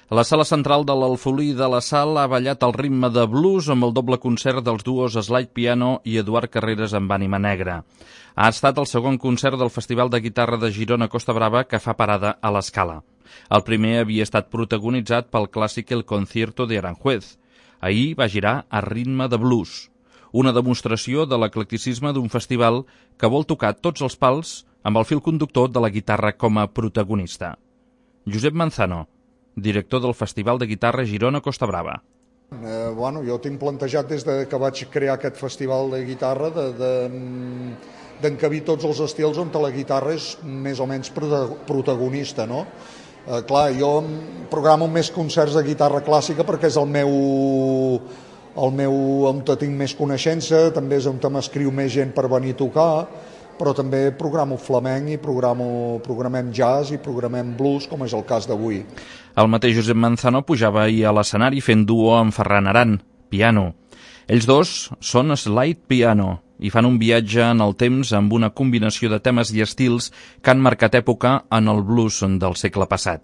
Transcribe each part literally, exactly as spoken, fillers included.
La sala central de l'Alfolí de la Sal ha ballat al ritme de blues amb el doble concert dels duos Slide Piano i Eduard Carreras amb Ànima Negra. Ha estat el segon concert del Festival de Guitarra de Girona Costa Brava que fa parada a l'Escala. El primer havia estat protagonitzat pel clàssic El Concierto de Aranjuez. Ahir va girar a ritme de blues, una demostració de l'eclecticisme d'un festival que vol tocar tots els pals amb el fil conductor de la guitarra com a protagonista. Josep Manzano, director del Festival de Guitarra Girona Costa Brava. Eh, bueno, jo tinc plantejat des de que vaig crear aquest festival de guitarra de, de, d'encabir tots els estils on la guitarra és més o menys protagonista, no? Eh, clar, jo programo més concerts de guitarra clàssica perquè és el meu, el meu on tinc més coneixença, també és on m'escriu més gent per venir a tocar, però també programo flamenc i programo, programem jazz i programem blues, com és el cas d'avui. El mateix Josep Manzano pujava ahir a l'escenari fent duo amb Ferran Aran, piano. Ells dos són Slide Piano i fan un viatge en el temps amb una combinació de temes i estils que han marcat època en el blues del segle passat.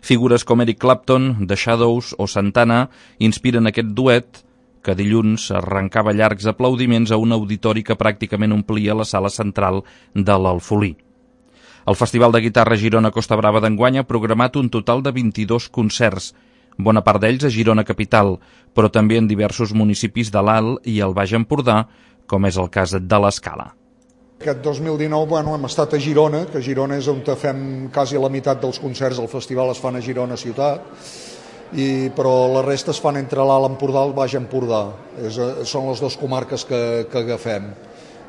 Figures com Eric Clapton, The Shadows o Santana inspiren aquest duet que dilluns arrencava llargs aplaudiments a un auditori que pràcticament omplia la sala central de l'Alfolí. El Festival de Guitarra Girona Costa Brava d'enguany ha programat un total de vint-i-dos concerts, bona part d'ells a Girona Capital, però també en diversos municipis de l'Alt i el Baix Empordà, com és el cas de l'Escala. Aquest dos mil dinou bueno, hem estat a Girona, que Girona és on fem quasi la meitat dels concerts del festival es fan a Girona ciutat, i, però la resta es fan entre l'Alt Empordà i el Baix Empordà. És, són les dues comarques que, que agafem.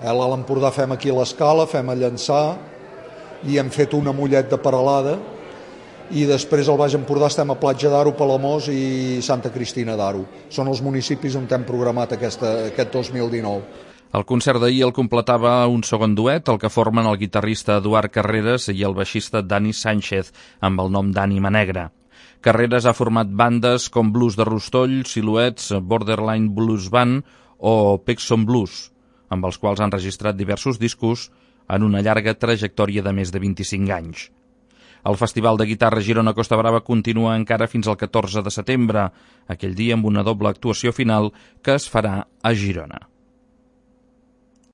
A l'Alt Empordà fem aquí l'Escala, fem a Llançà, i hem fet una Mollet de Peralada, i després al Baix Empordà estem a Platja d'Aro, Palamós i Santa Cristina d'Aro. Són els municipis on hem programat aquesta, aquest dos mil dinou. El concert d'ahir el completava un segon duet, el que formen el guitarrista Eduard Carreras i el baixista Dani Sánchez, amb el nom d'Ànima Negra. Carreras ha format bandes com Blues de Rostoll, Silhouettes, Borderline Blues Band o Pexon Blues, amb els quals han registrat diversos discos en una llarga trajectòria de més de vint-i-cinc anys. El Festival de Guitarra Girona Costa Brava continua encara fins al catorze de setembre, aquell dia amb una doble actuació final que es farà a Girona.